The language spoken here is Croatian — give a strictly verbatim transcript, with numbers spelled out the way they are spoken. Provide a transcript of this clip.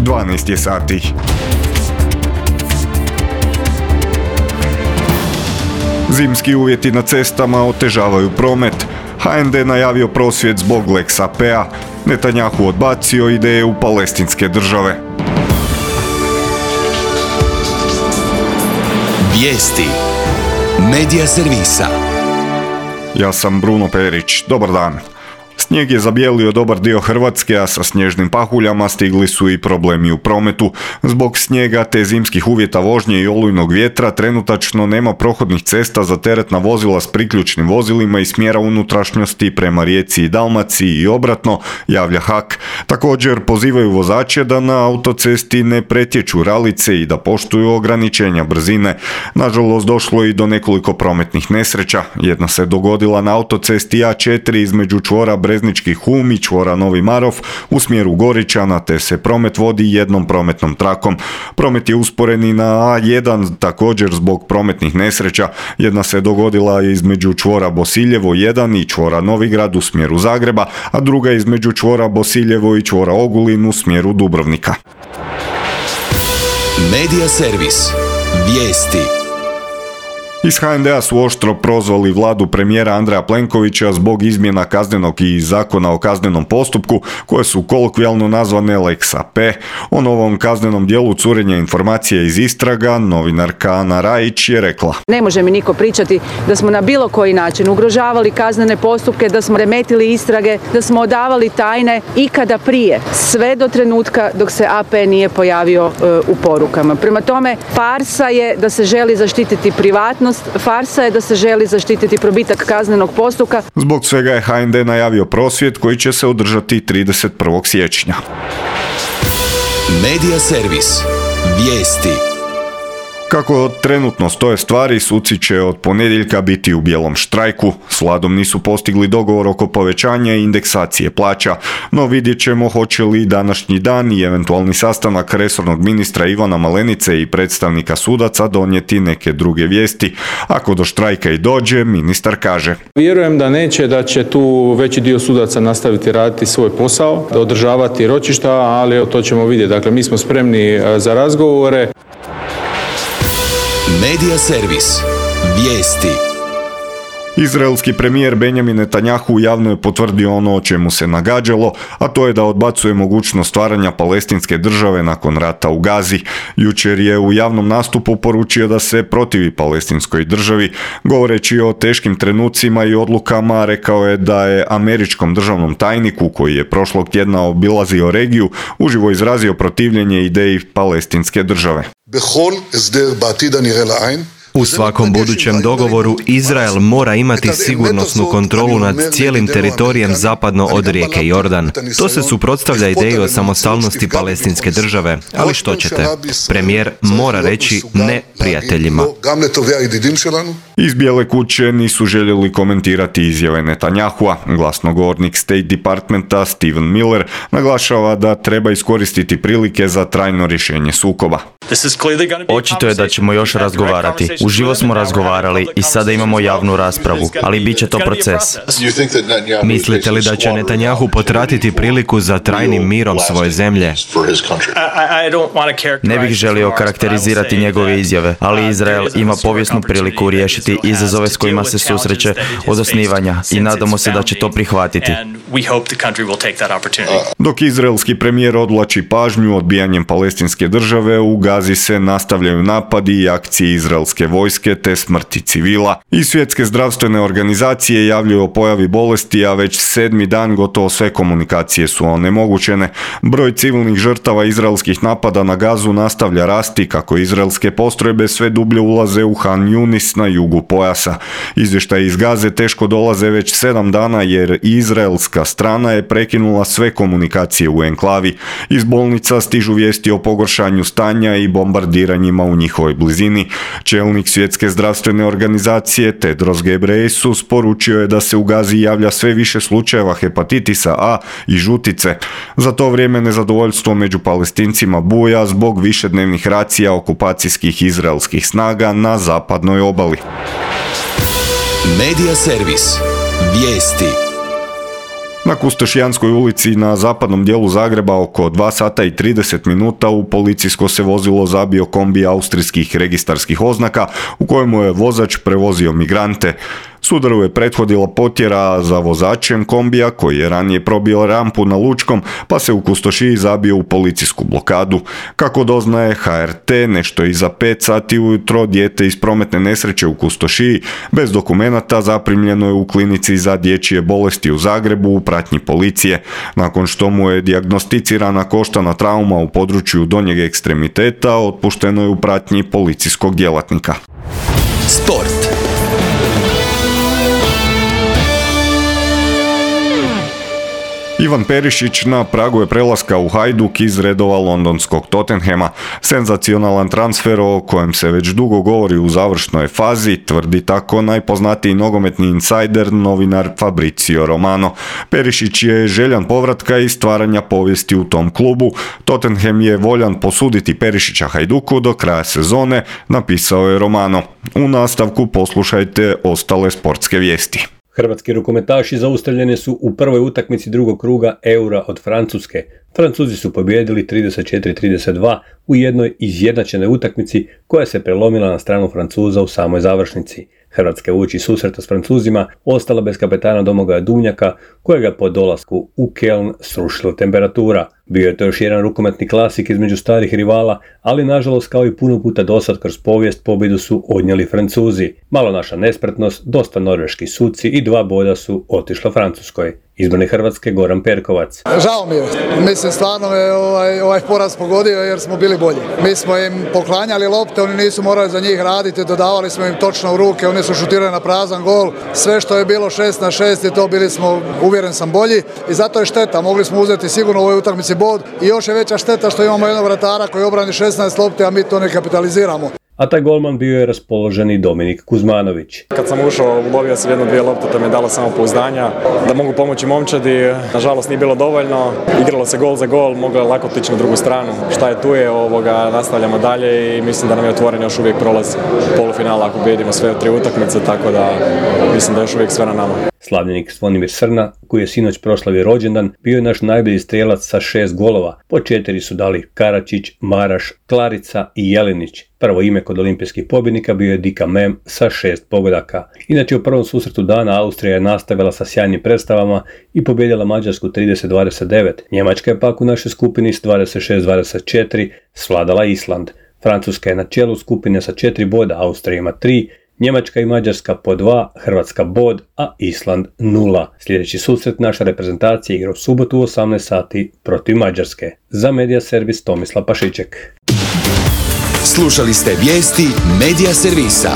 dvanaest je sati. Zimski uvjeti na cestama otežavaju promet. ha en de najavio prosvjed zbog Lex a pe a. Netanjahu odbacio ideju palestinske države. Vijesti Medija servisa. Ja sam Bruno Perić. Dobar dan. Snijeg je zabijelio dobar dio Hrvatske, a sa snježnim pahuljama stigli su i problemi u prometu. Zbog snijega te zimskih uvjeta vožnje i olujnog vjetra trenutačno nema prohodnih cesta za teretna vozila s priključnim vozilima i smjera unutrašnjosti prema Rijeci i Dalmaciji i obratno, javlja ha ke. Također pozivaju vozače da na autocesti ne pretječu ralice i da poštuju ograničenja brzine. Nažalost, došlo je i do nekoliko prometnih nesreća. Jedna se dogodila na autocesti a četiri između čvora Breznički Hum i čvora Novi Marof u smjeru Goričana, te se promet vodi jednom prometnom trakom. Promet je usporen i na a jedan također zbog prometnih nesreća. Jedna se dogodila između čvora Bosiljevo jedan i čvora Novigrad u smjeru Zagreba, a druga između čvora Bosiljevo i čvora Ogulin u smjeru Dubrovnika. Medija servis. Vijesti. Iz ha en de a su oštro prozvali vladu premijera Andreja Plenkovića zbog izmjena kaznenog i zakona o kaznenom postupku, koje su kolokvijalno nazvane Lex a pe. O novom kaznenom dijelu curenja informacija iz istraga novinarka Ana Rajić je rekla: Ne može mi niko pričati da smo na bilo koji način ugrožavali kaznene postupke, da smo remetili istrage, da smo odavali tajne ikada prije, sve do trenutka dok se a pe nije pojavio e, u porukama. Prema tome, farsa je da se želi zaštititi privatnost, farsa je da se želi zaštititi probitak kaznenog postupka. Zbog svega je ha en de najavio prosvjed koji će se održati trideset prvog siječnja. Medija servis. Vijesti. Kako trenutno stoje stvari, suci će od ponedjeljka biti u bijelom štrajku. S vladom nisu postigli dogovor oko povećanja i indeksacije plaća, no vidjet ćemo hoće li današnji dan i eventualni sastanak resornog ministra Ivana Malenice i predstavnika sudaca donijeti neke druge vijesti. Ako do štrajka i dođe, ministar kaže: Vjerujem da neće, da će tu veći dio sudaca nastaviti raditi svoj posao, da održavati ročišta, ali to ćemo vidjeti. Dakle, mi smo spremni za razgovore. Medija servis. Vijesti. Izraelski premijer Benjamin Netanjahu javno je potvrdio ono o čemu se nagađalo, a to je da odbacuje mogućnost stvaranja palestinske države nakon rata u Gazi. Jučer je u javnom nastupu poručio da se protivi palestinskoj državi. Govoreći o teškim trenucima i odlukama, rekao je da je američkom državnom tajniku, koji je prošlog tjedna obilazio regiju, uživo izrazio protivljenje ideji palestinske države. U svakom budućem dogovoru Izrael mora imati sigurnosnu kontrolu nad cijelim teritorijem zapadno od rijeke Jordan. To se suprotstavlja ideji o samostalnosti palestinske države, ali što ćete? Premijer mora reći ne prijateljima. Iz Bijele kuće nisu željeli komentirati izjave Netanjahua. Glasnogovornik State Departmenta Stephen Miller naglašava da treba iskoristiti prilike za trajno rješenje sukoba. Očito je da ćemo još razgovarati. Uživo smo razgovarali i sada imamo javnu raspravu, ali bit će to proces. Mislite li da će Netanjahu potratiti priliku za trajnim mirom svoje zemlje? Ne bih želio karakterizirati njegove izjave, ali Izrael ima povijesnu priliku riješiti izazove s kojima se susreće od osnivanja i nadamo se da će to prihvatiti. Dok izraelski premijer odvlači pažnju odbijanjem palestinske države, u Gazi se nastavljaju napadi i akcije izraelske vojske te smrti civila. I svjetske zdravstvene organizacije javljaju o pojavi bolesti, a već sedmi dan gotovo sve komunikacije su onemogućene. Broj civilnih žrtava izraelskih napada na Gazu nastavlja rasti kako izraelske postrojbe sve dublje ulaze u Han Yunis na jugu pojasa. Izvještaji iz Gaze teško dolaze već sedam dana jer izraelska strana je prekinula sve komunikacije u enklavi. Iz bolnica stižu vijesti o pogoršanju stanja i bombardiranjima u njihovoj blizini. Čelnik svjetske zdravstvene organizacije Tedros Ghebreyesus poručio je da se u Gazi javlja sve više slučajeva hepatitisa A i žutice. Za to vrijeme nezadovoljstvo među Palestincima buja zbog višednevnih racija okupacijskih izraelskih snaga na zapadnoj obali. Medija servis. Vijesti. Na Kustošijanskoj ulici na zapadnom dijelu Zagreba oko dva sata i trideset minuta u policijsko se vozilo zabio kombi austrijskih registarskih oznaka u kojemu je vozač prevozio migrante. Sudaru je prethodila potjera za vozačem kombija koji je ranije probio rampu na Lučkom pa se u Kustošiji zabio u policijsku blokadu. Kako doznaje H R T, nešto iza pet sati ujutro dijete iz prometne nesreće u Kustošiji bez dokumenata zaprimljeno je u klinici za dječje bolesti u Zagrebu u pratnji policije. Nakon što mu je dijagnosticirana koštana trauma u području donjeg ekstremiteta, otpušteno je u pratnji policijskog djelatnika. Sport. Ivan Perišić na pragu je prelaska u Hajduk iz redova londonskog Tottenhama. Senzacionalan transfer o kojem se već dugo govori u završnoj fazi, tvrdi tako najpoznatiji nogometni insajder, novinar Fabrizio Romano. Perišić je željan povratka i stvaranja povijesti u tom klubu. Tottenham je voljan posuditi Perišića Hajduku do kraja sezone, napisao je Romano. U nastavku poslušajte ostale sportske vijesti. Hrvatski rukometaši zaustavljeni su u prvoj utakmici drugog kruga Eura od Francuske. Francuzi su pobijedili trideset četiri trideset dva u jednoj izjednačenoj utakmici koja se prelomila na stranu Francuza u samoj završnici. Hrvatska uoči susreta s Francuzima ostala bez kapetana Domagoja Duvnjaka, kojega po dolasku u Keln srušila temperatura. Bio je to još jedan rukometni klasik između starih rivala, ali nažalost kao i puno puta dosad kroz povijest pobjedu su odnijeli Francuzi. Malo naša nespretnost, dosta norveški suci i dva boda su otišla Francuskoj. Izbornik Hrvatske Goran Perkovac. Žao mi je. Mislim stvarno me ovaj, ovaj poraz pogodio jer smo bili bolji. Mi smo im poklanjali lopte, oni nisu morali za njih raditi, dodavali smo im točno u ruke, oni su šutirali na prazan gol. Sve što je bilo šest na šest i to bili smo, uvjeren sam, bolji i zato je šteta. Mogli smo uzeti sigurno u ovoj utakmici bod i još je veća šteta što imamo jednog vratara koji obrani šesnaest lopti, a mi to ne kapitaliziramo. A taj golman bio je raspoloženi Dominik Kuzmanović. Kad sam ušao, ulovio sam jedno dvije lopte, to mi je dalo samopouzdanja da mogu pomoći momčadi. Nažalost nije bilo dovoljno, igralo se gol za gol, moglo je lako otići na drugu stranu. Šta je tu je, ovoga, nastavljamo dalje i mislim da nam je otvoren još uvijek prolaz polufinala ako pobijedimo sve tri utakmice, tako da mislim da je još uvijek sve na nama. Slavljenik Zvonimir Srna, koji je sinoć proslavio rođendan, bio je naš najbolji strijelac sa šest golova. Po četiri su dali Karačić, Maraš, Klarica i Jelinić. Prvo ime kod olimpijskih pobjednika bio je Dika Mem sa šest pogodaka. Inače u prvom susretu dana Austrija je nastavila sa sjajnim predstavama i pobjedila Mađarsku trideset dvadeset devet. Njemačka je pak u našoj skupini s dvadeset šest dvadeset četiri svladala Island. Francuska je na čelu skupine sa četiri boda, Austrija ima tri, Njemačka i Mađarska po dva, Hrvatska bod, a Island nula. Sljedeći susret naša reprezentacija igra u subotu u osamnaest sati protiv Mađarske. Za Medija Servis Tomislav Pašiček. Slušali ste vijesti Medija Servisa.